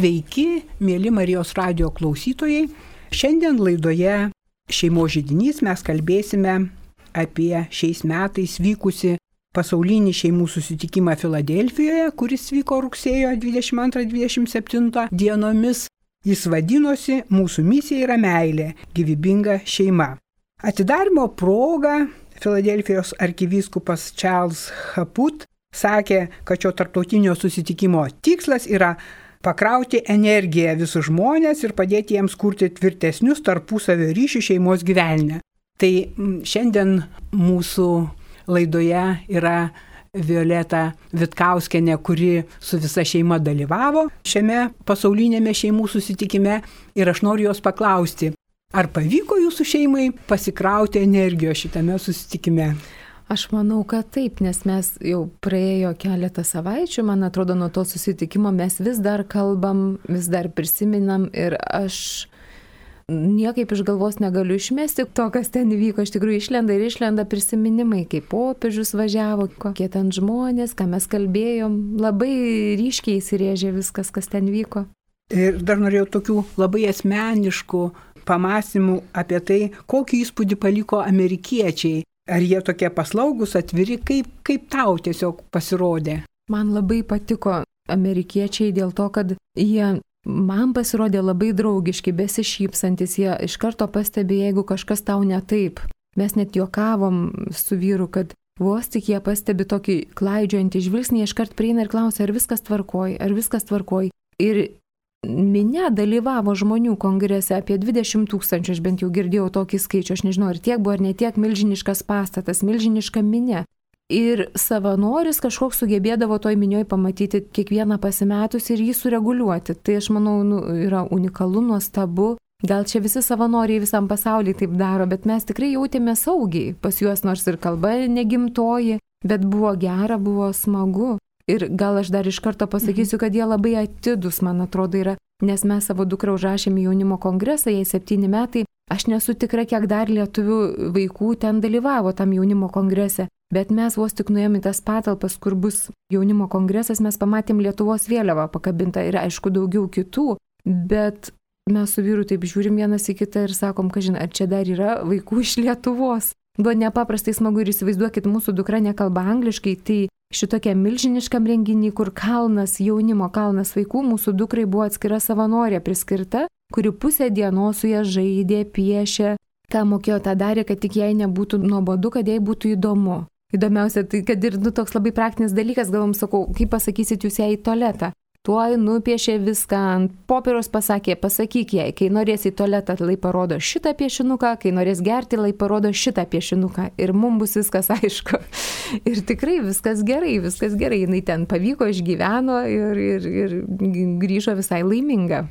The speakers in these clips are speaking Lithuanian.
Sveiki, mėly Marijos radijo klausytojai. Šiandien laidoje Šeimos židinys mes kalbėsime apie šiais metais vykusi pasaulinį šeimų susitikimą Filadelfijoje, kuris vyko rugsėjo 22-27 dienomis. Jis vadinosi Mūsų misija yra meilė, gyvybinga šeima. Atidarymo proga Filadelfijos arkivyskupas Charles Chaput sakė, kad šio tarptautinio susitikimo tikslas yra pakrauti energiją visus žmonės ir padėti jiems kurti tvirtesnius tarpusavio ryšių šeimos gyvenime. Tai šiandien mūsų laidoje yra Violeta Vitkauskienė, kuri su visa šeima dalyvavo šiame pasaulinėme šeimų susitikime, ir aš noriu jos paklausti, ar pavyko jūsų šeimai pasikrauti energijos šitame susitikime? Aš manau, kad taip, nes mes jau praėjo keletą savaičių, man atrodo, nuo to susitikimo mes vis dar kalbam, vis dar prisiminam ir aš niekaip iš galvos negaliu išmesti to, kas ten įvyko. Iš tikrųjų išlenda prisiminimai, kaip popiežius važiavo, kokie ten žmonės, ką mes kalbėjom, labai ryškiai įsirėžė viskas, kas ten vyko. Ir dar norėjau tokių labai asmeniškų pamąstymų apie tai, kokį įspūdį paliko amerikiečiai. Ar jie tokie paslaugus, atviri, kaip tau tiesiog pasirodė? Man labai patiko amerikiečiai dėl to, kad jie man pasirodė labai draugiški, besišypsantis, jie iš karto pastebė, jeigu kažkas tau ne taip. Mes net juokavom su vyru, kad vos tik jie pastebi tokį klaidžiojantį žvilgsnį, iškart prieina ir klausia, ar viskas tvarkoj. Ir minia dalyvavo žmonių kongrese apie 20 000, aš bent jau girdėjau tokį skaičių, aš nežinau, ar tiek buvo, ar ne tiek, milžiniškas pastatas, milžiniška minia. Ir savanoris kažkoks sugebėdavo toj minioj pamatyti kiekvieną pasimetus ir jį sureguliuoti. Tai aš manau, yra unikalu, nuostabu. Gal čia visi savanoriai visam pasaulyje taip daro, bet mes tikrai jautėme saugiai pas juos, nors ir kalba negimtoji, bet buvo gera, buvo smagu. Ir gal aš dar iš karto pasakysiu, kad jie labai atidus, man atrodo, yra, nes mes savo dukrą užrašėme jaunimo kongresą, jai 7 metai, aš nesu tikra, kiek dar lietuvių vaikų ten dalyvavo tam jaunimo kongrese, bet mes vos tik nuėjome į tas patalpas, kur bus jaunimo kongresas, mes pamatėm Lietuvos vėliavą pakabintą ir aišku daugiau kitų, bet mes su vyru taip žiūrim vienas į kitą ir sakom, kažin, ar čia dar yra vaikų iš Lietuvos. Buvo nepaprastai smagu ir įsivaizduokit, mūsų dukra nekalba angliškai, tai šitokia milžiniškam renginį, kur kalnas, jaunimo kalnas vaikų, mūsų dukrai buvo atskira savanorė priskirta, kuri pusę dienos su ją žaidė, piešė, ką mokėjo, tą darė, kad tik jai nebūtų nuobodu, kad jai būtų įdomu. Įdomiausia, tai kad ir toks labai praktinis dalykas, galvom, sakau, kaip pasakysit jūs ją į tualetą. Tuoj nupiešė viską ant popieriaus, pasakė, pasakyk jai, kai norės į tualetą, lai parodo šitą piešinuką, kai norės gerti, lai parodo šitą piešinuką. Ir mums bus viskas aišku. Ir tikrai viskas gerai, jinai ten pavyko, išgyveno ir grįžo visai laiminga.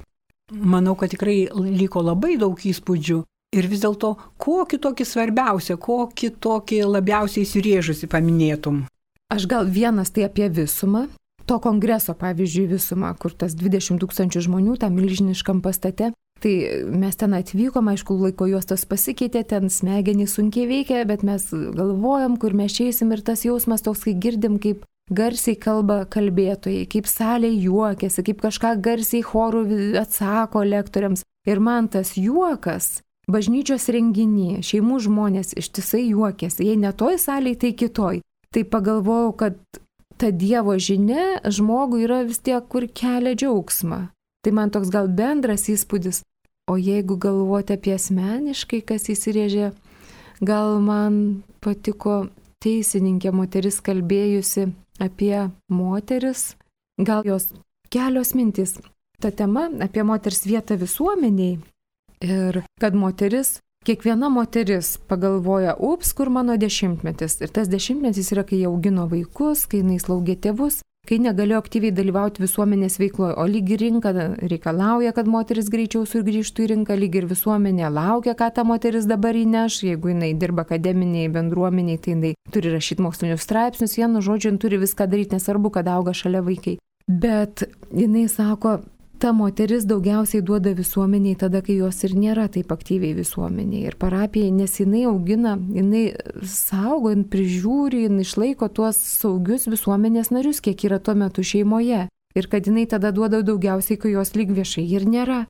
Manau, kad tikrai liko labai daug įspūdžių. Ir vis dėlto, kokį tokį svarbiausią, kokį tokį labiausiai įsirėžusi paminėtum? Aš gal vienas tai apie visumą. To kongreso, pavyzdžiui, visumą, kur tas 20 000 žmonių, tam milžiniškam pastate, tai mes ten atvykom, aišku, laiko juostos pasikeitė, ten smegenys sunkiai veikia, bet mes galvojam, kur mes eisim ir tas jausmas toks, kai girdim, kaip garsiai kalba kalbėtojai, kaip salė juokiasi, kaip kažką garsiai chorų atsako lektoriams. Ir man tas juokas, bažnyčios renginį, šeimų žmonės ištisai juokiasi, jei ne toj salėj, tai kitoj. Tai pagalvojau, kad ta Dievo žinia žmogui yra vis tiek, kur kelia džiaugsmą. Tai man toks gal bendras įspūdis. O jeigu galvoti apie asmeniškai, kas įsirėžė, gal man patiko teisininkė moteris kalbėjusi apie moteris, gal jos kelios mintys. Ta tema apie moters vietą visuomeniai ir kad kiekviena moteris pagalvoja, kur mano 10-metis. Ir tas 10-metis yra, kai jie augino vaikus, kai jinai slaugė tėvus, kai negalėjo aktyviai dalyvauti visuomenės veikloje, o lyg ir rinka reikalauja, kad moteris greičiau sugrįžtų į rinką, lyg ir visuomenė laukia, ką ta moteris dabar įneš, jeigu jinai dirba akademiniai bendruomeniai, tai jinai turi rašyti mokslinius straipsnius, vienu žodžiu, turi viską daryti, nesvarbu, kad auga šalia vaikai. Bet jinai sako, ta moteris daugiausiai duoda visuomeniai tada, kai jos ir nėra taip aktyviai visuomeniai. Ir parapijai, nes jinai augina, jinai saugo, jinai prižiūri, jinai išlaiko tuos saugius visuomenės narius, kiek yra tuo metu šeimoje. Ir kad jinai tada duoda daugiausiai, kai jos lyg viešai ir nėra.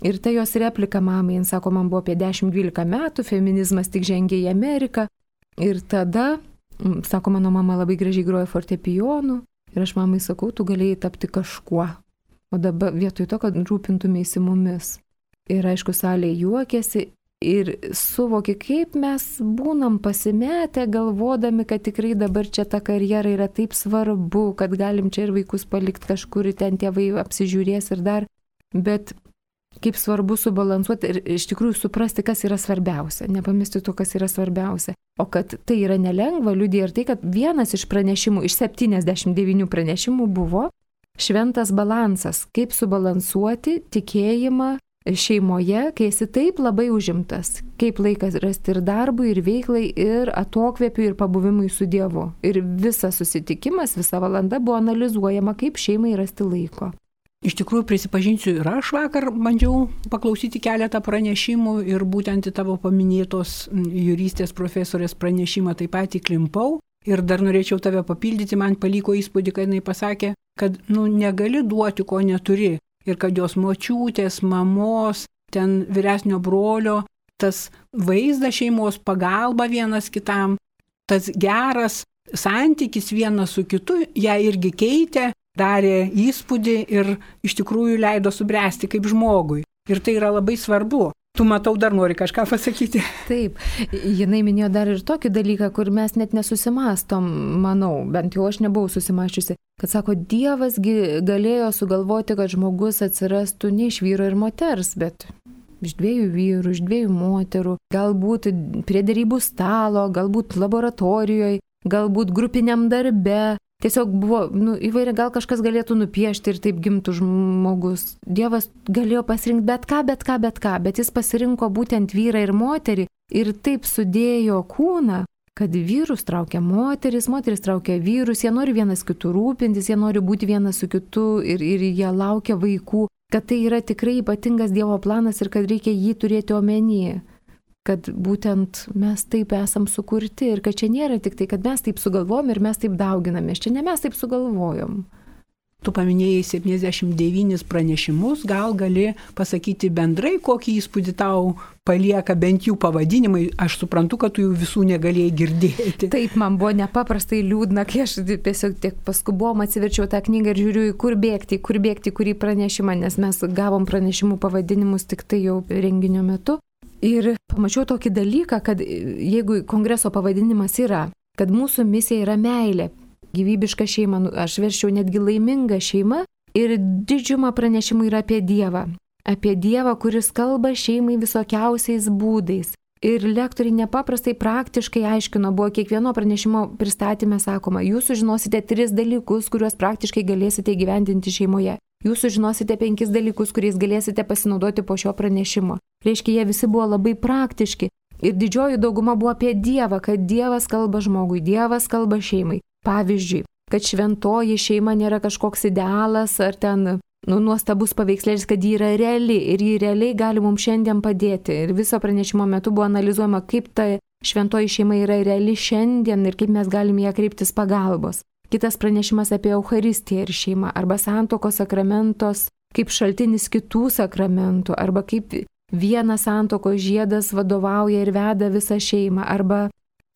Ir ta jos replika mamai, jin sako, man buvo apie 10-12 metų, feminizmas tik žengė į Ameriką. Ir tada, sako, mano mama labai gražiai groja fortepijonu. Ir aš mamai sakau, tu galėjai tapti kažkuo. O dabar vietoj to, kad rūpintumėsi mumis. Ir aišku, salė juokėsi ir suvoki, kaip mes būnam pasimetę, galvodami, kad tikrai dabar čia ta karjera yra taip svarbu, kad galim čia ir vaikus palikti kažkur, ten tėvai apsižiūrės ir dar. Bet kaip svarbu subalansuoti ir iš tikrųjų suprasti, kas yra svarbiausia, nepamesti to, kas yra svarbiausia. O kad tai yra nelengva, liudija ir tai, kad vienas iš pranešimų, iš 79 pranešimų buvo šventas balansas, kaip subalansuoti tikėjimą šeimoje, kai esi taip labai užimtas, kaip laikas rasti ir darbui, ir veiklai, ir atokvėpiui, ir pabuvimui su Dievu. Ir visas susitikimas, visa valanda buvo analizuojama, kaip šeimai rasti laiko. Iš tikrųjų, prisipažinsiu, ir aš vakar bandžiau paklausyti keletą pranešimų ir būtent į tavo paminėtos juristės profesorės pranešimą taip pat įklimpau. Ir dar norėčiau tave papildyti, man paliko įspūdį, kad jinai pasakė, kad negali duoti, ko neturi. Ir kad jos močiutės, mamos, ten vyresnio brolio, tas vaizdas šeimos, pagalba vienas kitam, tas geras santykis vienas su kitu, ją irgi keitė, darė įspūdį ir iš tikrųjų leido subręsti kaip žmogui. Ir tai yra labai svarbu. Tu, matau, dar nori kažką pasakyti. Taip, jinai minėjo dar ir tokį dalyką, kur mes net nesusimastom, manau, bent jau aš nebuvau susimaščiusi, kad sako, Dievasgi galėjo sugalvoti, kad žmogus atsirastų ne iš vyro ir moters, bet iš 2 vyrų, iš 2 moterų, galbūt prie derybų stalo, galbūt laboratorijoje, galbūt grupiniam darbe. Tiesiog buvo įvairia, gal kažkas galėtų nupiešti ir taip gimtų žmogus. Dievas galėjo pasirinkti bet ką, bet jis pasirinko būtent vyrą ir moterį ir taip sudėjo kūną, kad vyrus traukia moteris traukia vyrus, jie nori vienas kitų rūpintis, jie nori būti vienas su kitu ir jie laukia vaikų, kad tai yra tikrai ypatingas Dievo planas ir kad reikia jį turėti omenyje. Kad būtent mes taip esam sukurti ir kad čia nėra tik tai, kad mes taip sugalvojom ir mes taip dauginamės. Čia ne mes taip sugalvojom. Tu paminėjai 79 pranešimus, gal gali pasakyti bendrai, kokį įspūdį tau palieka bent jų pavadinimai. Aš suprantu, kad tu jų visų negalėjai girdėti. Taip, man buvo nepaprastai liūdna, kai aš tiesiog tiek paskubom atsiverčiau tą knygą ir žiūriu, kur bėgti, kurį pranešimą, nes mes gavom pranešimų pavadinimus tik tai jau renginio metu. Ir pamačiau tokį dalyką, kad jeigu kongreso pavadinimas yra, kad mūsų misija yra meilė, gyvybiška šeima, aš verčiau netgi laiminga šeima ir didžiuma pranešimų yra apie Dievą, kuris kalba šeimai visokiausiais būdais. Ir lektoriai nepaprastai praktiškai aiškino, buvo kiekvieno pranešimo pristatymė sakoma, jūs sužinosite 3 dalykus, kuriuos praktiškai galėsite įgyvendinti šeimoje. Jūs sužinosite 5 dalykus, kuriais galėsite pasinaudoti po šio pranešimo. Reiškia, jie visi buvo labai praktiški. Ir didžioji dauguma buvo apie Dievą, kad Dievas kalba žmogui, Dievas kalba šeimai. Pavyzdžiui, kad šventoji šeima nėra kažkoks idealas ar ten nuostabus paveikslėlis, kad ji yra reali ir ji realiai gali mums šiandien padėti. Ir viso pranešimo metu buvo analizuojama, kaip ta šventoji šeima yra reali šiandien ir kaip mes galime ją kreiptis pagalbos. Kitas pranešimas apie Eucharistiją ir šeimą, arba santuokos sakramentos kaip šaltinis kitų sakramentų, arba kaip vienas santuokos žiedas vadovauja ir veda visą šeimą, arba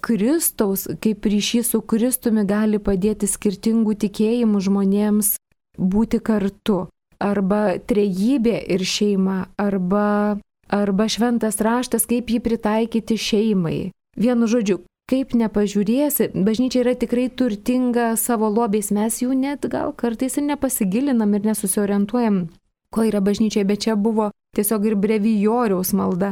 Kristaus kaip ryšys su Kristumi gali padėti skirtingų tikėjimų žmonėms būti kartu, arba trejybė ir šeima, arba šventas raštas, kaip jį pritaikyti šeimai. Vienu žodžiu, kaip nepažiūrėsi, bažnyčia yra tikrai turtinga savo lobiais, mes jų net gal kartais ir nepasigilinam ir nesusiorientuojam, ko yra bažnyčiai, bet čia buvo tiesiog ir brevijoriaus malda.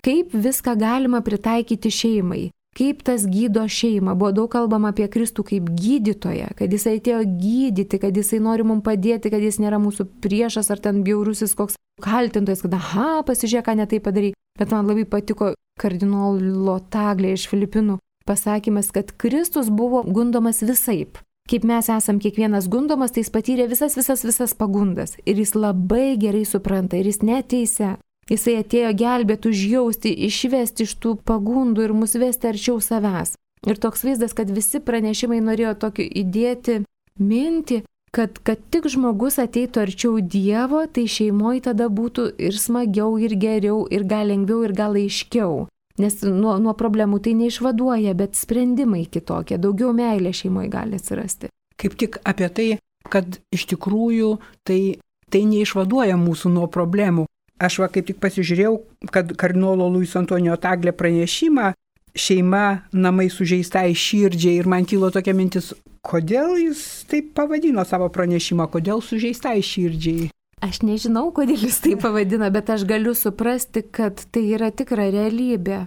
Kaip viską galima pritaikyti šeimai, kaip tas gydo šeimą. Buvo daug kalbama apie Kristų kaip gydytoją, kad jis atėjo gydyti, kad jisai nori mums padėti, kad jis nėra mūsų priešas ar ten bjaurusis koks kaltintojas, kad pasižiūrėk, ką netai padarai. Bet man labai patiko kardinolo Taglė iš Filipinų pasakymas, kad Kristus buvo gundomas visaip. Kaip mes esam kiekvienas gundomas, tai jis patyrė visas pagundas. Ir jis labai gerai supranta, ir jis neteisia. Jisai atėjo gelbėti, užjausti, išvesti iš tų pagundų ir mus vesti arčiau savęs. Ir toks vaizdas, kad visi pranešimai norėjo tokį įdėti mintį, kad tik žmogus ateitų arčiau Dievo, tai šeimoje tada būtų ir smagiau, ir geriau, ir gal lengviau, ir gal aiškiau. Nes nuo problemų tai neišvaduoja, bet sprendimai kitokie, daugiau meilė šeimoje gali atsirasti. Kaip tik apie tai, kad iš tikrųjų tai neišvaduoja mūsų nuo problemų. Aš kaip tik pasižiūrėjau, kad kardinolo Luiso Antonijo Tagle pranešimą šeima namai sužeistai širdžiai ir man kilo tokia mintis, kodėl jis taip pavadino savo pranešimą, kodėl sužeistai širdžiai. Aš nežinau, kodėl jis taip pavadina, bet aš galiu suprasti, kad tai yra tikra realybė.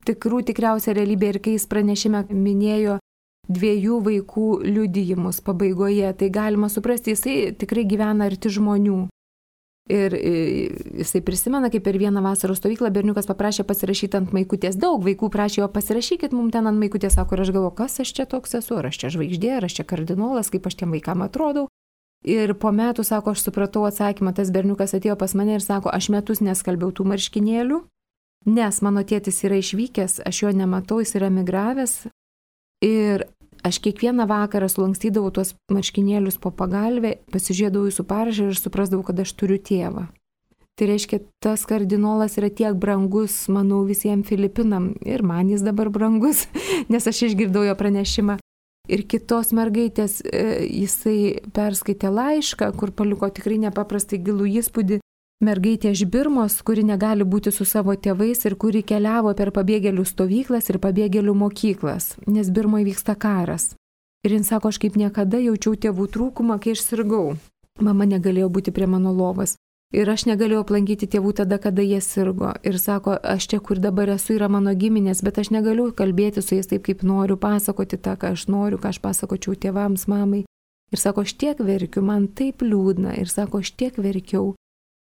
Tikriausia realybė ir kai jis pranešime minėjo 2 vaikų liudijimus pabaigoje, tai galima suprasti, jisai tikrai gyvena arti žmonių. Ir jisai prisimena, kaip per vieną vasaros stovyklą berniukas paprašė pasirašyti ant maikutės. Daug vaikų prašė jo pasirašykit mums ten ant maikutės, sako, ir aš galvoju, kas aš čia toks esu, ar aš čia žvaigždė, ar aš čia kardinolas, kaip aš tiem vaikam atrodau. Ir po metų, sako, aš supratau atsakymą, tas berniukas atėjo pas mane ir sako, aš metus neskalbiau tų marškinėlių, nes mano tėtis yra išvykęs, aš jo nematau, jis yra migravęs. Ir aš kiekvieną vakarą sulankstydavau tuos marškinėlius po pagalvę, pasižiūrėdavau jūsų parašą ir suprasdavau, kad aš turiu tėvą. Tai reiškia, tas kardinolas yra tiek brangus, manau, visiems Filipinam ir man jis dabar brangus, nes aš išgirdau jo pranešimą. Ir kitos mergaitės jisai perskaitė laišką, kur paliko tikrai nepaprastai gilų įspūdį. Mergaitė iš Birmos, kuri negali būti su savo tėvais ir kuri keliavo per pabėgėlių stovyklas ir pabėgėlių mokyklas, nes Birmoje vyksta karas. Ir jis sako, aš kaip niekada jaučiau tėvų trūkumą, kai aš sirgau. Mama negalėjo būti prie mano lovos. Ir aš negalėjau aplankyti tėvų tada, kada jie sirgo. Ir sako, aš čia, kur dabar esu, yra mano giminės, bet aš negaliu kalbėti su jais taip, kaip noriu, pasakoti tą, ką aš noriu, ką aš pasakočiau tėvams, mamai. Ir sako, aš tiek verkiu, man taip liūdna. Ir sako, aš tiek verkiau.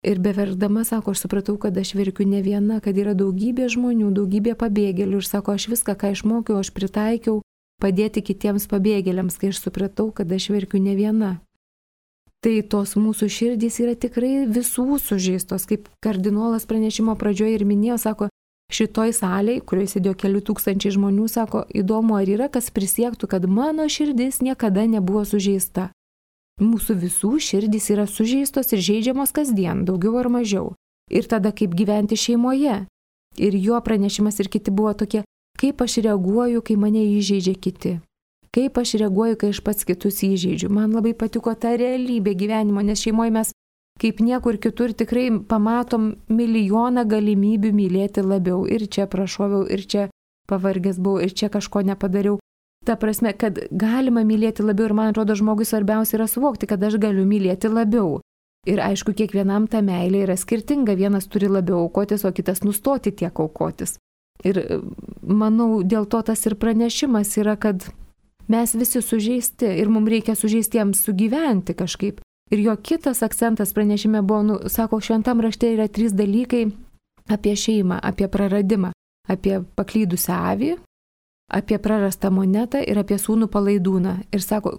Ir beverkdama, sako, aš supratau, kad aš verkiu ne viena, kad yra daugybė žmonių, daugybė pabėgėlių. Ir sako, aš viską, ką išmokiau, aš pritaikiau padėti kitiems pabėgėliams, kai aš supratau, kad aš verkiu ne viena. Tai tos mūsų širdys yra tikrai visų sužeistos, kaip kardinolas pranešimo pradžioje ir minėjo, sako, šitoj salėje, kurioje sėdėjo kelių tūkstančiai žmonių, sako, įdomu, ar yra kas prisiektų, kad mano širdis niekada nebuvo sužeista. Mūsų visų širdys yra sužeistos ir žeidžiamos kasdien, daugiau ar mažiau. Ir tada kaip gyventi šeimoje. Ir jo pranešimas ir kiti buvo tokie, kaip aš reaguoju, kai mane įžeidžia kiti. Kaip aš reaguoju, kai aš pats kitus įžeidžiu. Man labai patiko ta realybė gyvenimo, nes šeimoje mes kaip niekur kitur tikrai pamatom milijoną galimybių mylėti labiau. Ir čia prašoviau, ir čia pavargęs buvau, ir čia kažko nepadariau. Ta prasme, kad galima mylėti labiau ir man atrodo žmogui svarbiausia yra suvokti, kad aš galiu mylėti labiau. Ir aišku, kiekvienam ta meilė yra skirtinga, vienas turi labiau aukotis, o kitas nustoti tiek aukotis. Ir manau, dėl to tas ir pranešimas yra, kad mes visi sužeisti ir mums reikia sužeistiems sugyventi kažkaip. Ir jo kitas akcentas pranešime buvo, sako, šventam rašte yra 3 dalykai apie šeimą, apie praradimą, apie paklydusią avį, apie prarastą monetą ir apie sūnų palaidūną. Ir sako,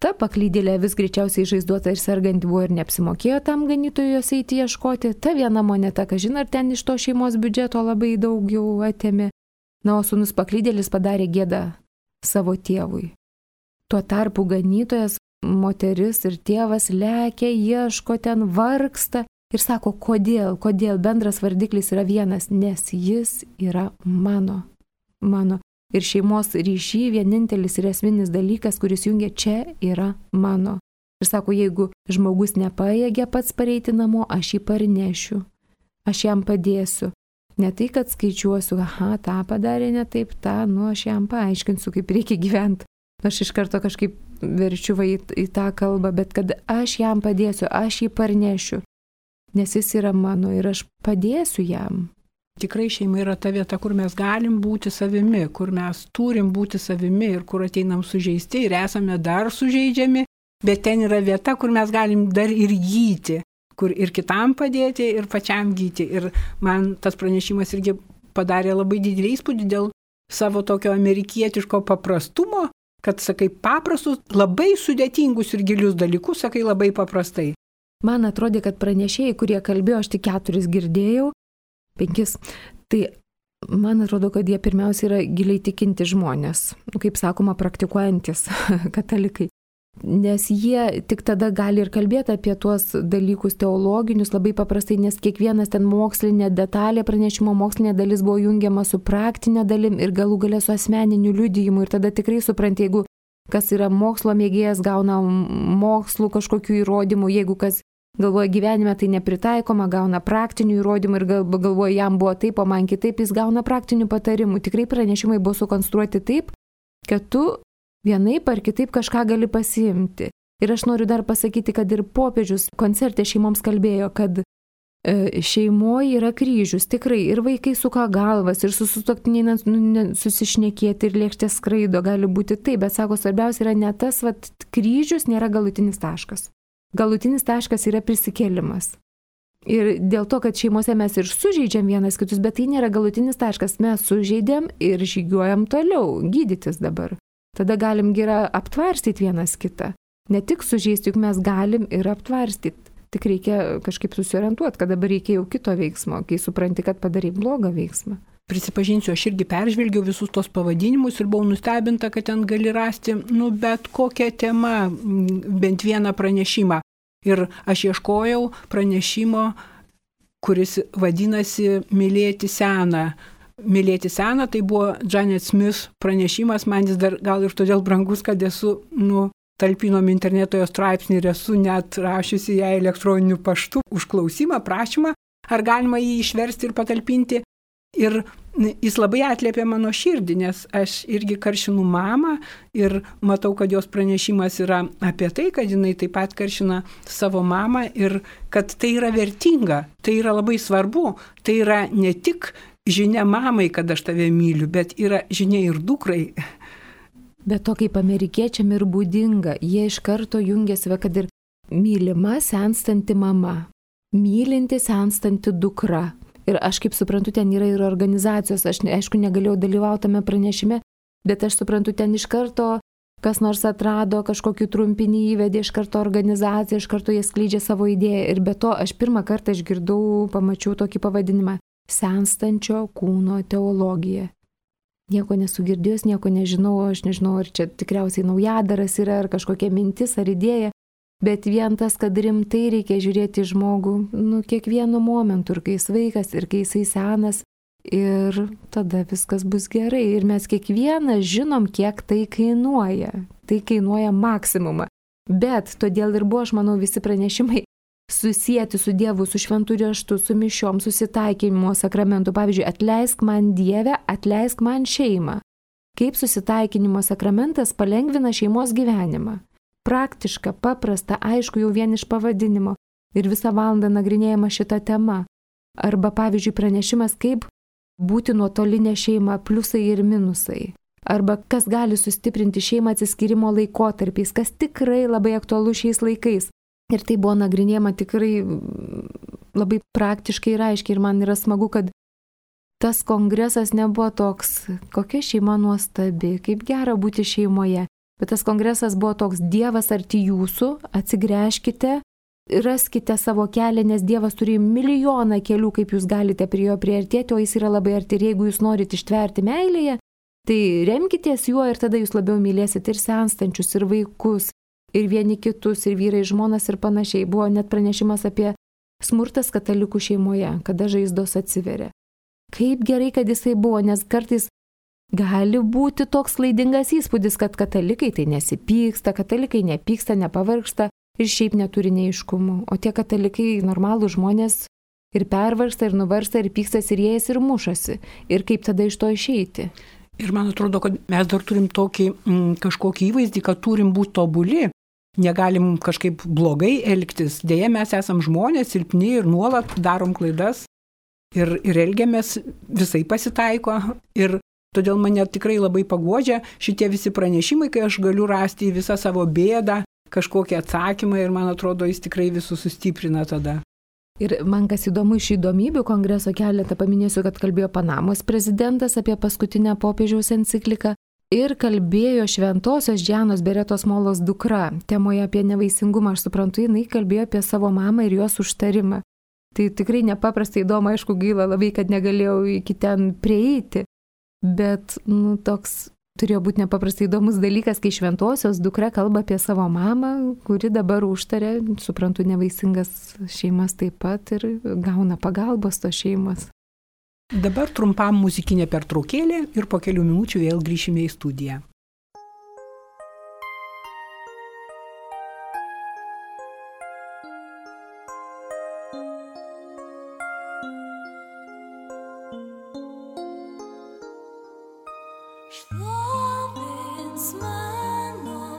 ta paklydėlė vis greičiausiai žaizduota ir serganti buvo ir neapsimokėjo tam ganytojui jos eiti ieškoti. Ta viena moneta, kažin ar ten iš to šeimos biudžeto labai daug jau atėmė. Na, o sūnus paklydėlis padarė gėdą savo tėvui. Tuo tarpu ganytojas, moteris ir tėvas lekia, ieško ten, vargsta. Ir sako, kodėl bendras vardiklis yra vienas, nes jis yra mano. Ir šeimos ryšy vienintelis ir esminis dalykas, kuris jungia, čia yra mano. Ir sako, jeigu žmogus nepajėgia pats pareiti namo, aš jį parnešiu, aš jam padėsiu. Ne tai, kad skaičiuosiu, tą padarė ne taip, aš jam paaiškinsiu, kaip reikia gyventi. Aš iš karto kažkaip verčiu į tą kalbą, bet kad aš jam padėsiu, aš jį parnešiu, nes jis yra mano ir aš padėsiu jam. Tikrai šeima yra ta vieta, kur mes galim būti savimi, kur mes turim būti savimi ir kur ateinam sužeisti ir esame dar sužeidžiami, bet ten yra vieta, kur mes galim dar ir gyti, kur ir kitam padėti, ir pačiam gyti. Ir man tas pranešimas irgi padarė labai didelį įspūdį dėl savo tokio amerikietiško paprastumo, kad sakai paprastus, labai sudėtingus ir gilius dalykus, sakai labai paprastai. Man atrodė, kad pranešėjai, kurie kalbėjo, aš tik 4 girdėjau, 5, tai man atrodo, kad jie pirmiausia yra giliai tikinti žmonės, kaip sakoma, praktikuojantis katalikai. nes jie tik tada gali ir kalbėti apie tuos dalykus teologinius labai paprastai, nes kiekvienas ten mokslinė detalė, pranešimo mokslinė dalis buvo jungiama su praktinė dalim ir galų gale su asmeniniu liudijimu. Ir tada tikrai supranti, jeigu kas yra mokslo mėgėjas, gauna mokslų kažkokių įrodymų, jeigu kas galvoja gyvenime tai nepritaikoma, gauna praktinių įrodymų ir galvoja jam buvo taip, o man kitaip, jis gauna praktinių patarimų. Tikrai pranešimai buvo sukonstruoti taip, kad tu vienaip ar kitaip kažką gali pasiimti. Ir aš noriu dar pasakyti, kad ir popiežius koncerte šeimoms kalbėjo, kad šeimoje yra kryžius, tikrai, ir vaikai suka galvas, ir su sutuoktiniai susišnekėti, ir lėkštės skraido, gali būti taip, bet sako, svarbiausia yra ne tas, kryžius nėra galutinis taškas. Galutinis taškas yra prisikėlimas. Ir dėl to, kad šeimose mes ir sužeidžiam vienas kitus, bet tai nėra galutinis taškas, mes sužeidėm ir žygiuojam toliau, gydytis dabar. Tada galim gera aptvarstyti vienas kitą. Ne tik sužeisti, juk mes galim ir aptvarstyti. Tik reikia kažkaip susiorientuoti, kad dabar reikia jau kito veiksmo, kai supranti, kad padarai blogą veiksmą. Prisipažinsiu, aš irgi peržvelgiau visus tos pavadinimus ir buvau nustebinta, kad ten gali rasti, bet kokią temą, bent vieną pranešimą. Ir aš ieškojau pranešimo, kuris vadinasi Mylėti seną. Mylėti seną, tai buvo Janet Smith pranešimas, man jis dar gal ir todėl brangus, kad esu, talpinom internetoje straipsnį ir esu net rašiusi ją elektroniniu paštu užklausimą, prašymą, ar galima jį išversti ir patalpinti. Ir jis labai atliepia mano širdį, nes aš irgi karšinu mamą ir matau, kad jos pranešimas yra apie tai, kad jinai taip pat karšina savo mamą ir kad tai yra vertinga, tai yra labai svarbu, tai yra ne tik žinia mamai, kad aš tave myliu, bet yra žinia ir dukrai. Bet to kaip amerikiečiam ir būdinga, jie iš karto jungiasi, kad ir mylima senstanti mama, mylinti senstanti dukra. Ir aš kaip suprantu, ten yra ir organizacijos, aš aišku negalėjau dalyvauti tame pranešime, bet aš suprantu, ten iš karto kas nors atrado, kažkokį trumpinį įvedė, iš karto organizacija, iš karto jie skleidžia savo idėją. Ir be to aš pirmą kartą išgirdau, pamačiau tokį pavadinimą – senstančio kūno teologija. Nieko nesugirdėjus, nieko nežinau, aš nežinau, ar čia tikriausiai naujadaras yra, ar kažkokia mintis, ar idėja. Bet vien tas, kad rimtai reikia žiūrėti žmogų, kiekvienu momentu, ir kai jis vaikas, ir kai jisai senas, ir tada viskas bus gerai. Ir mes kiekvienas žinom, kiek tai kainuoja. Tai kainuoja maksimumą. Bet todėl ir buvo, aš manau, visi pranešimai susijęti su Dievu, su šventu raštu, su mišiom, susitaikinimo sakramentu. Pavyzdžiui, atleisk man Dieve, atleisk man šeimą. Kaip susitaikinimo sakramentas palengvina šeimos gyvenimą. Praktiška, paprasta, aišku, jau vien iš pavadinimo. Ir visą valandą nagrinėjama šita tema. Arba, pavyzdžiui, pranešimas, kaip būti nuotolinė šeima, pliusai ir minusai. Arba kas gali sustiprinti šeimą atsiskyrimo laikotarpiais, kas tikrai labai aktualu šiais laikais. Ir tai buvo nagrinėjama tikrai labai praktiškai ir aiškiai. Ir man yra smagu, kad tas kongresas nebuvo toks, kokia šeima nuostabi, kaip gera būti šeimoje. Bet tas kongresas buvo toks, Dievas arti jūsų, atsigręžkite, raskite savo kelią, nes Dievas turi milijoną kelių, kaip jūs galite prie jo priartėti, o jis yra labai arti. Ir jeigu jūs norite ištverti meilėje, tai remkitės juo ir tada jūs labiau mylėsite ir senstančius, ir vaikus, ir vieni kitus, ir vyrai, žmonas ir panašiai. Buvo net pranešimas apie smurtas katalikų šeimoje, kada žaizdos atsiveria. Kaip gerai, kad jisai buvo, nes kartais gali būti toks klaidingas įspūdis, kad katalikai tai nesipyksta, katalikai nepyksta, nepavargsta ir šiaip neturi neiškumų. O tie katalikai, normalūs žmonės, ir pervargsta, ir nuvarsta, ir pykstas, ir jėjas, ir mušasi. Ir kaip tada iš to išeiti? Ir man atrodo, kad mes dar turim tokį kažkokį įvaizdį, kad turim būti tobuli. Negalim kažkaip blogai elgtis. Deja, mes esam žmonės, silpni ir nuolat darom klaidas. Ir elgiamės, visai pasitaiko. Ir todėl mane tikrai labai paguodžia šitie visi pranešimai, kai aš galiu rasti į visą savo bėdą kažkokį atsakymą ir man atrodo, jis tikrai visus sustiprina tada. Ir man kas įdomu iš įdomybių kongreso keletą paminėsiu, kad kalbėjo Panamos prezidentas apie paskutinę popiežiaus encikliką ir kalbėjo šventosios Džianos Beretos Molos dukra. Temoje apie nevaisingumą, aš suprantu, jinai kalbėjo apie savo mamą ir jos užtarimą. Tai tikrai nepaprastai įdomu, aišku, gaila labai, kad negalėjau iki ten prieiti. Bet toks turėjo būti nepaprastai įdomus dalykas, kai šventosios dukra kalba apie savo mamą, kuri dabar užtarė, suprantu, nevaisingas šeimas taip pat ir gauna pagalbos tos šeimos. Dabar trumpam muzikinė pertraukėlė ir po kelių minučių vėl grįšime į studiją. Šlovins mano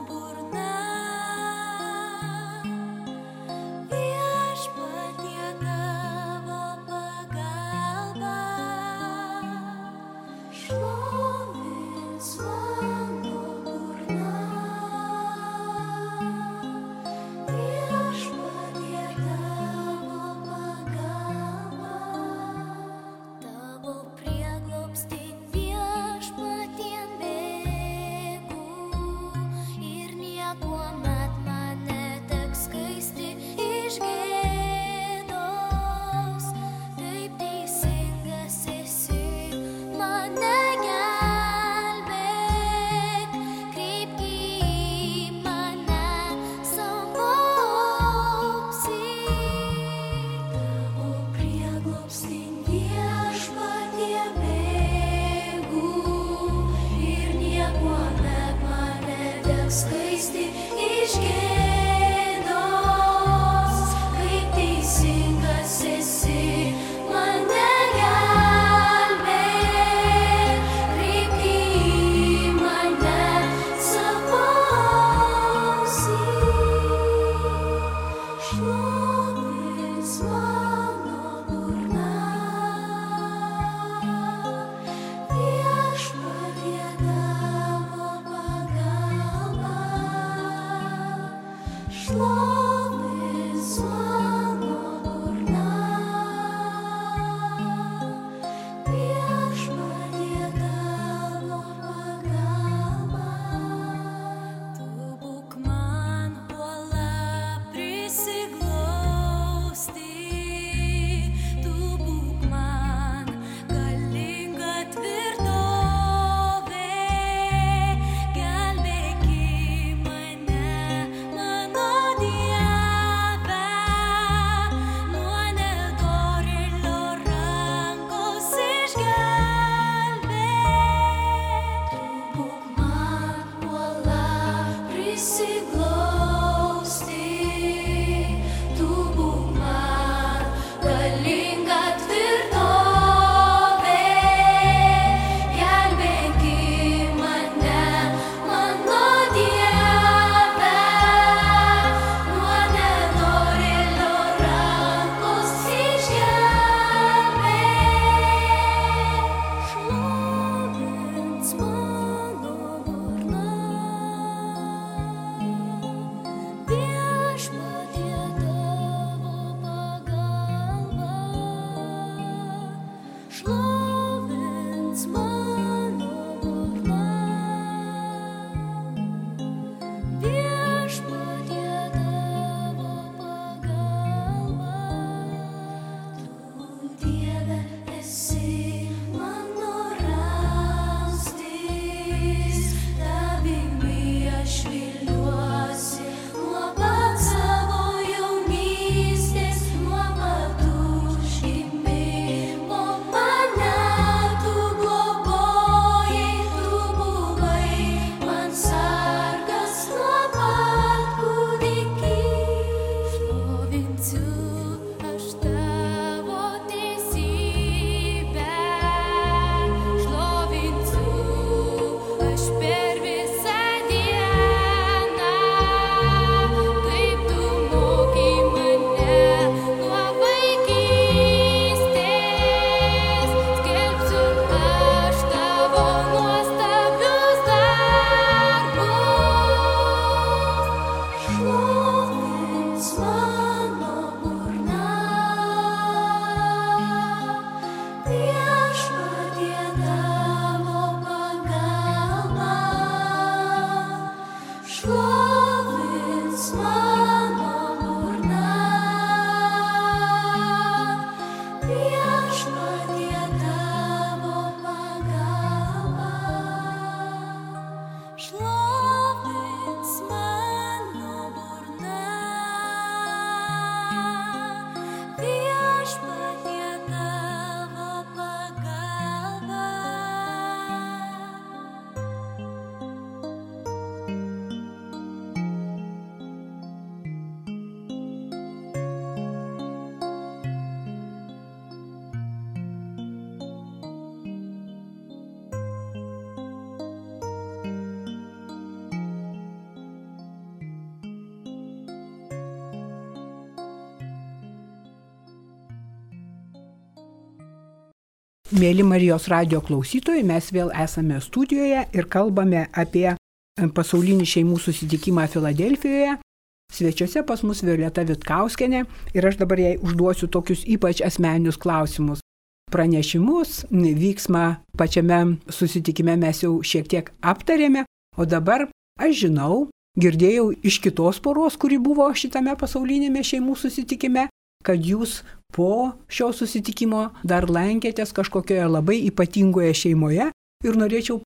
Mėly Marijos radijo klausytojai, mes vėl esame studijoje ir kalbame apie pasaulinį šeimų susitikimą Filadelfijoje. Svečiuose pas mus Violeta Vitkauskienė ir aš dabar jai užduosiu tokius ypač asmeninius klausimus. Pranešimus, vyksmą pačiame susitikime mes jau šiek tiek aptarėme, o dabar aš žinau, girdėjau iš kitos poros, kuri buvo šitame pasaulinėme šeimų susitikime, kad jūs po šio susitikimo dar lankėtės kažkokioje labai ypatingoje šeimoje ir norėčiau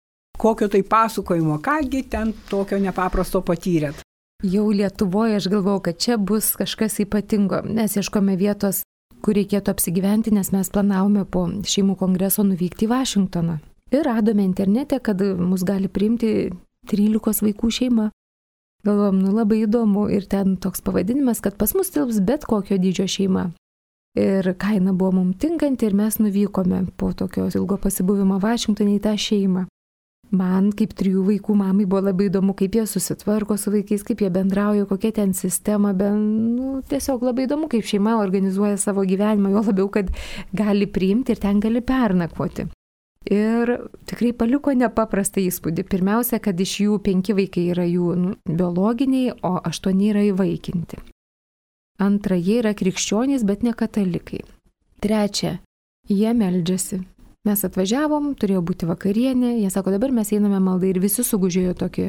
kokio tai pasakojimo, kągi ten tokio nepaprasto patyrėt. Jau Lietuvoje aš galvojau, kad čia bus kažkas ypatingo. Mes ieškome vietos, kur reikėtų apsigyventi, nes mes planavome po šeimų kongreso nuvykti į Vašingtoną. Ir radome internete, kad mus gali priimti 13 vaikų šeima. Galvom, labai įdomu ir ten toks pavadinimas, kad pas mus tilps bet kokio dydžio šeima. Ir kaina buvo mums tinkanti ir mes nuvykome po tokio ilgo pasibuvimo Vašingtone į tą šeimą. Man kaip 3 vaikų mamai buvo labai įdomu, kaip jie susitvarko su vaikais, kaip jie bendrauja, kokia ten sistema, tiesiog labai įdomu, kaip šeima organizuoja savo gyvenimą, jo labiau, kad gali priimti ir ten gali pernakvoti. Ir tikrai paliko nepaprastą įspūdį. Pirmiausia, kad iš jų 5 vaikai yra jų biologiniai, o 8 yra įvaikinti. Antra, jie yra krikščionys, bet ne katalikai. Trečia, jie meldžiasi. Mes atvažiavom, turėjo būti vakarienė, jie sako, dabar mes einame maldai ir visi sugužėjo tokį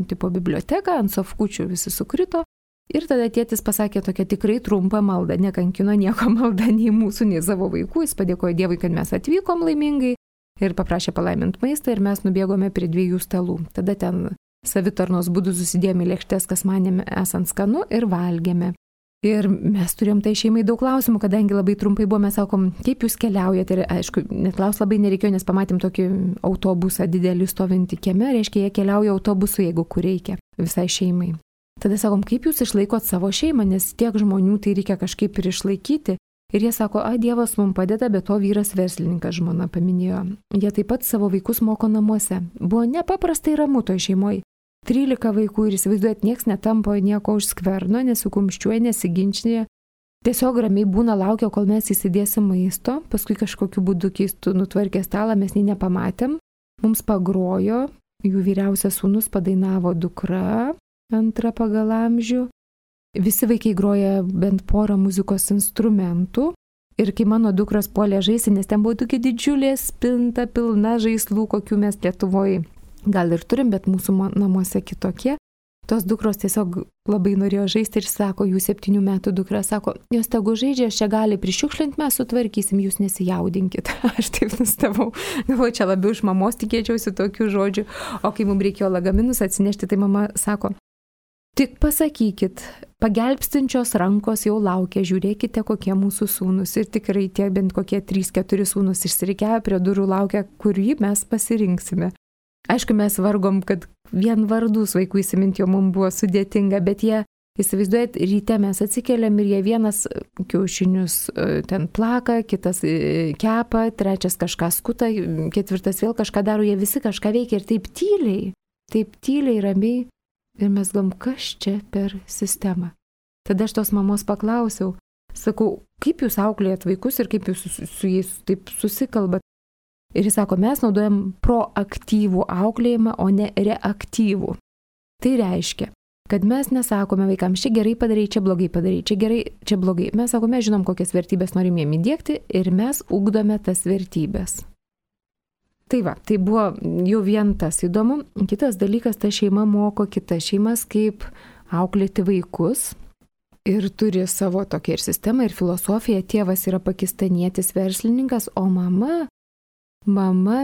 tipo biblioteką, ant sofkučių visi sukrito. Ir tada tėtis pasakė tokią tikrai trumpą maldą, nekankino nieko maldą nei mūsų, nei savo vaikų, jis padėkojo Dievui, kad mes atvykom laimingai. Ir paprašė palaimint maistą ir mes nubėgome prie 2 stalų. Tada ten savitarnos būdų susidėjome lėkštes, kas manėme esant skanu ir valgėme. Ir mes turėjom tai šeimai daug klausimų, kadangi labai trumpai buvo, mes sakom, kaip jūs keliaujate. Ir aišku, net klaus labai nereikėjo, nes pamatėm tokį autobusą didelį stovintį kieme, reiškia, jie keliauja autobusu, jeigu kur reikia, visai šeimai. Tada sakom, kaip jūs išlaikot savo šeimą, nes tiek žmonių tai reikia kažkaip ir išlaikyti. Ir jie sako, Dievas mums padeda, bet to vyras verslininkas, žmona paminėjo. Jie taip pat savo vaikus moko namuose. Buvo nepaprastai ramu toj šeimoje. 13 vaikų ir įsivaizduojat, nieks netampo nieko už skverno, nesikumščiuoja, nesiginčinė. Tiesiog ramiai būna laukia, kol mes įsidėsim maisto, paskui kažkokiu būdu keistų nutvarkė stalą, mes nei nepamatėm. Mums pagrojo, jų vyriausias sūnus padainavo dukra, antra pagal amžių. Visi vaikai groja bent porą muzikos instrumentų ir kai mano dukros puolė žaisti, nes ten buvo tokia didžiulė spinta, pilna žaislų, kokių mes Lietuvoje gal ir turim, bet mūsų namuose kitokie. Tos dukros tiesiog labai norėjo žaisti ir sako, jų 7 metų dukra sako, jos tegu žaidžia, aš čia gali prišiukšlinti, mes sutvarkysim, jūs nesijaudinkit. Aš taip nustebau, galvoju, čia labiau iš mamos tikėčiausi tokių žodžių, o kai mums reikėjo lagaminus atsinešti, tai mama sako, tik pasakykit, pagelbstinčios rankos jau laukia, žiūrėkite, kokie mūsų sūnus. Ir tikrai tie bent kokie 3-4 sūnus išsirikiavę prie durų laukia, kurį mes pasirinksime. Aišku, mes vargom, kad vien vardus vaikų įsiminti jau mums buvo sudėtinga, bet jie, įsivaizduojat, ryte mes atsikeliam ir jie vienas kiaušinius ten plaka, kitas kepa, trečias kažką skuta, ketvirtas vėl kažką daro, jie visi kažką veikia ir taip tyliai, ramiai. Ir mes galvom, kas čia per sistemą. Tada aš tos mamos paklausiau, sakau, kaip jūs auklėjat vaikus ir kaip jūs su jais taip susikalbat. Ir jis sako, mes naudojam proaktyvų auklėjimą, o ne reaktyvų. Tai reiškia, kad mes nesakome vaikams, čia gerai padarai, čia blogai padarai, čia gerai, čia blogai. Mes sakome, mes žinom, kokias vertybės norim jiem įdiegti ir mes ugdome tas vertybės. Tai va, tai buvo jau vien tas įdomu. Kitas dalykas, ta šeima moko kitas šeimas, kaip auklėti vaikus. Ir turi savo tokią ir sistemą, ir filosofiją. Tėvas yra pakistanietis verslininkas, o mama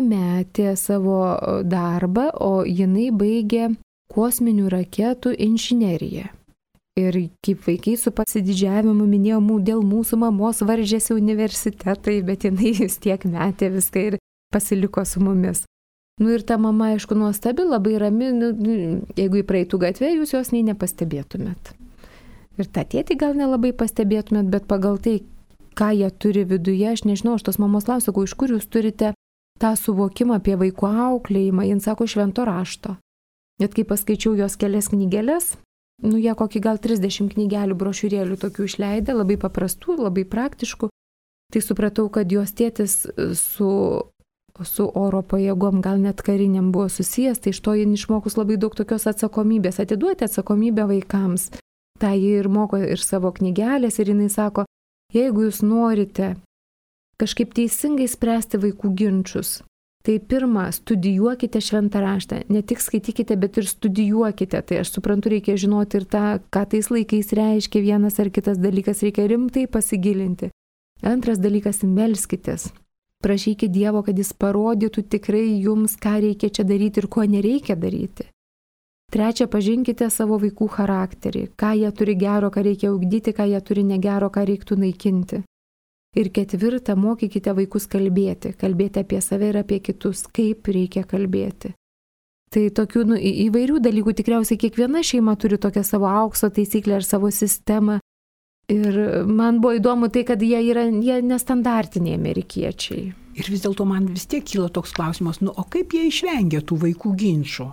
metė savo darbą, o jinai baigė kosminių raketų inžineriją. Ir kaip vaikai su pasididžiavimu minėjo, dėl mūsų mamos varžėsi universitetai, bet jinai vis tiek metė viską ir pasiliko su mumis. Ir ta mama, aišku, nuostabi, labai rami, jeigu į praeitų gatvę, jūs jos nei nepastebėtumėt. Ir tą tėtį gal nelabai pastebėtumėt, bet pagal tai, ką jie turi viduje, aš nežinau, aš tos mamos klausiu, iš kur jūs turite tą suvokimą apie vaikų auklėjimą, jin sako švento rašto. Net kai paskaičiau jos kelias knygelės, jie kokį gal 30 knygelių brošiūrėlių tokių išleidę, labai paprastų, labai praktiškų. Tai supratau, kad jos tėtis su oro pajėgom, gal net kariniam buvo susijęs, tai iš to jin išmokus labai daug tokios atsakomybės, atiduoti atsakomybę vaikams. Tai jie ir moko ir savo knygelės ir jinai sako, jeigu jūs norite kažkaip teisingai spręsti vaikų ginčius, tai pirmą, studijuokite šventą raštą. Ne tik skaitykite, bet ir studijuokite. Tai aš suprantu, reikia žinoti ir tą, ką tais laikais reiškia vienas ar kitas dalykas, reikia rimtai pasigilinti. Antras dalykas, melskitės. Prašykite Dievo, kad jis parodytų tikrai jums, ką reikia čia daryti ir ko nereikia daryti. Trečia, pažinkite savo vaikų charakterį, ką jie turi gero, ką reikia ugdyti, ką jie turi negero, ką reiktų naikinti. Ir ketvirta, mokykite vaikus kalbėti apie save ir apie kitus, kaip reikia kalbėti. Tai tokių įvairių dalykų tikriausiai kiekviena šeima turi tokią savo aukso taisyklę ar savo sistemą. Ir man buvo įdomu tai, kad jie nestandartiniai amerikiečiai. Ir vis dėlto man vis tiek kyla toks klausimas, o kaip jie išvengia tų vaikų ginčų?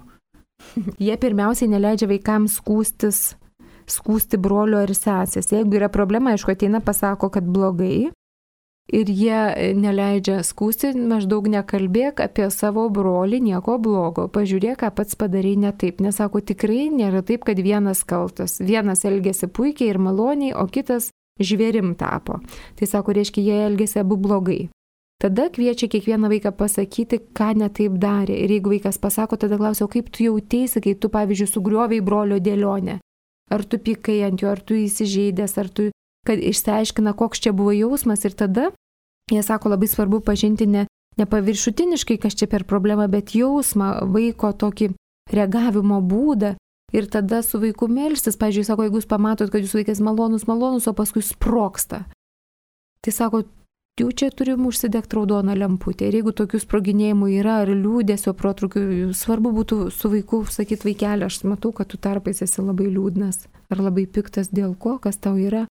Jie pirmiausiai neleidžia vaikams skųsti brolio ar sesės. Jeigu yra problema, aišku, ateina, pasako, kad blogai. Ir jie neleidžia skųsti, maždaug nekalbėk apie savo brolį, nieko blogo. Pažiūrėk, ką pats padarai ne taip. Nesako, tikrai nėra taip, kad vienas kaltas. Vienas elgėsi puikiai ir maloniai, o kitas žvėrim tapo. Tai sako, reiškia, jie elgėsi abu blogai. Tada kviečia kiekvieną vaiką pasakyti, ką ne taip darė. Ir jeigu vaikas pasako, tada klausia, o kaip tu jautėsi, kai tu, pavyzdžiui, sugriovei brolio dėlionę. Ar tu pykai ant jo, ar tu įsižeidęs, ar tu, kad išsiaiškina, koks čia buvo jausmas. Ir tada jie sako, labai svarbu pažinti ne paviršutiniškai, kas čia per problemą, bet jausmą, vaiko tokį reagavimo būdą. Ir tada su vaiku melstis, pavyzdžiui, sako, jeigu jūs pamatot, kad jūsų vaikas malonus, o paskui sprogsta. Tai sako, jau čia turim užsidegti raudoną lemputę. Ir jeigu tokių sproginėjimų yra, ar liūdėsio protrukių, svarbu būtų su vaiku sakyti, vaikeli, aš matau, kad tu tarpais esi labai liūdnas, ar labai piktas dėl ko, kas tau yra.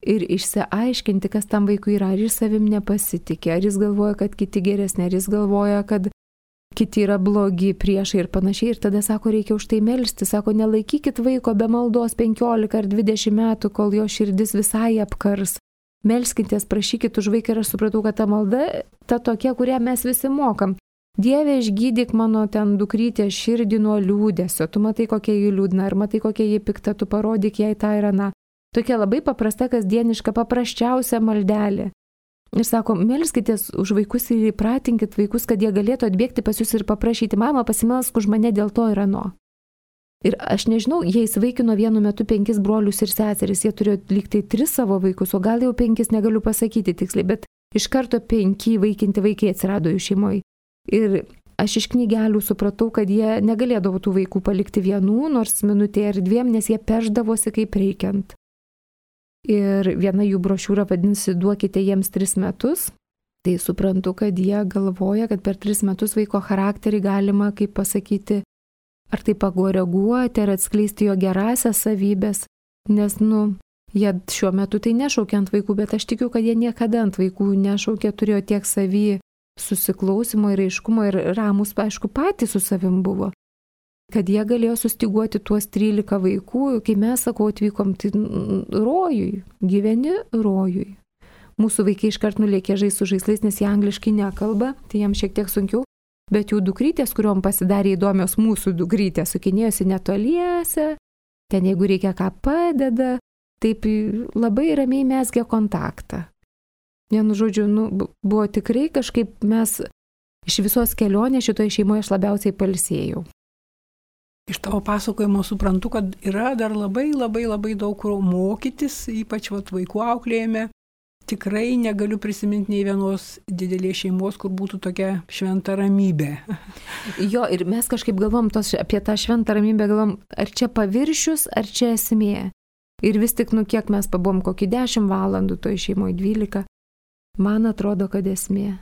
Ir išsiaiškinti, kas tam vaikui yra, ar jis savim nepasitikė, ar jis galvoja, kad kiti geresni, ar jis galvoja, kad kiti yra blogi priešai ir panašiai. Ir tada sako, reikia už tai melsti. Sako, nelaikykit vaiko be maldos 15 ar 20 metų, kol jo širdis visai apkars. Melskitės, prašykit už vaiką ir aš supratau, kad ta malda, ta tokia, kurią mes visi mokam. Dieve, išgydyk mano ten dukrytę širdį nuo liūdesio. Tu matai, kokia ji liūdna, ar matai, kokia ji pikta, tu parodyk jai tą ir aną. Tokia labai paprasta, kasdieniška, paprasčiausia maldelė. Ir sako, melskitės už vaikus ir įpratinkit vaikus, kad jie galėtų atbėgti pas jūs ir paprašyti, mama, pasimelsk už mane dėl to ir ano. Ir aš nežinau, jie įsivaikino vienu metu 5 brolius ir seseris, jie turėjo lygtai 3 savo vaikus, o gal jau 5, negaliu pasakyti tiksliai, bet iš karto 5 įvaikinti vaikai atsirado jų šeimoje. Ir aš iš knygelių supratau, kad jie negalėdavo tų vaikų palikti vienų, nors minutė ar 2, nes jie perždavosi kaip reikiant. Ir viena jų brošiūra vadinasi duokite jiems 3 metus. Tai suprantu, kad jie galvoja, kad per 3 metus vaiko charakterį galima, kaip pasakyti, ar tai pakoreguoti, ar atskleisti jo gerąsias savybės. Nes, jie šiuo metu tai nešaukia ant vaikų, bet aš tikiu, kad jie niekada ant vaikų nešaukia, turėjo tiek savy susiklausimo ir aiškumo ir ramus, aišku, patys su savim buvo. Kad jie galėjo sustiguoti tuos 13 vaikų, kai mes, sakau, atvykom, tai rojui, gyveni rojui. Mūsų vaikai iškart nulėkė žaisti su žaislais, nes jie angliškai nekalba, tai jiems šiek tiek sunkiau, bet jų dukrytės, kuriuom pasidarė įdomios mūsų dukrytės, sukinėjosi netoliese, ten jeigu reikia ką padeda, taip labai ramiai mezgė kontaktą. Vienu žodžiu, buvo tikrai kažkaip mes iš visos kelionės šitoje šeimoje aš labiausiai pailsėjau. Iš tavo pasakojimo suprantu, kad yra dar labai daug kur mokytis, ypač vaikų auklėjime. Tikrai negaliu prisiminti nei vienos didelės šeimos, kur būtų tokia šventa ramybė. Jo, ir mes kažkaip galvom apie tą šventą ramybę, galvom, ar čia paviršius, ar čia esmė. Ir vis tik, kiek mes pabuvom, kokį 10 valandų toj šeimoje, 12. Man atrodo, kad esmė.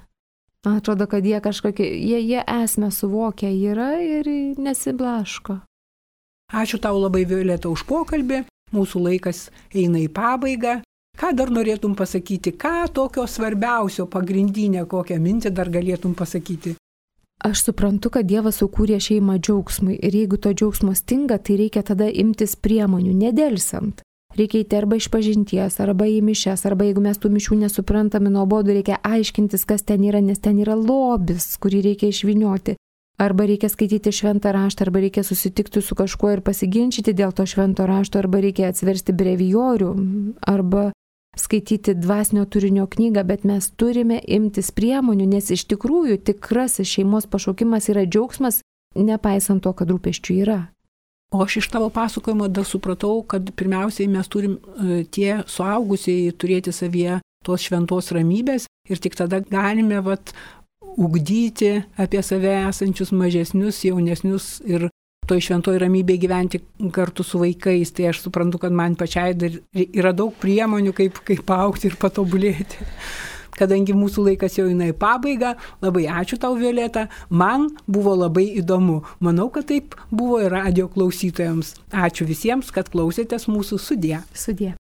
Man atrodo, kad jie kažkokie, jie esmę suvokia yra ir nesiblaško. Ačiū tau labai, Violeta, už pokalbį. Mūsų laikas eina į pabaigą. Ką dar norėtum pasakyti? Ką tokio svarbiausio, pagrindinę, kokią mintį dar galėtum pasakyti? Aš suprantu, kad Dievas sukūrė šeimą džiaugsmui ir jeigu to džiaugsmo stinga, tai reikia tada imtis priemonių, nedelsant. reikia eiti arba iš pažinties, arba į mišias, arba jeigu mes tų mišių nesuprantame nuobodų, reikia aiškintis, kas ten yra, nes ten yra lobis, kurį reikia išvinioti. Arba reikia skaityti šventą raštą, arba reikia susitikti su kažkuo ir pasiginčyti dėl to švento rašto, arba reikia atsiversti brevijorių, arba skaityti dvasinio turinio knygą, bet mes turime imtis priemonių, nes iš tikrųjų tikrasis šeimos pašaukimas yra džiaugsmas, nepaisant to, kad rūpesčių yra. O aš iš tavo pasakojimo dar supratau, kad pirmiausiai mes turim tie suaugusieji turėti savyje tos šventos ramybės ir tik tada galime ugdyti apie save esančius mažesnius, jaunesnius ir toj šventoj ramybėje gyventi kartu su vaikais. Tai aš suprantu, kad man pačiai dar yra daug priemonių, kaip augti ir patobulėti. Kadangi mūsų laikas jau eina į pabaigą, labai ačiū tau, Violeta, man buvo labai įdomu. Manau, kad taip buvo ir radijo klausytojams. Ačiū visiems, kad klausėtės mūsų. Sudie. Sudie.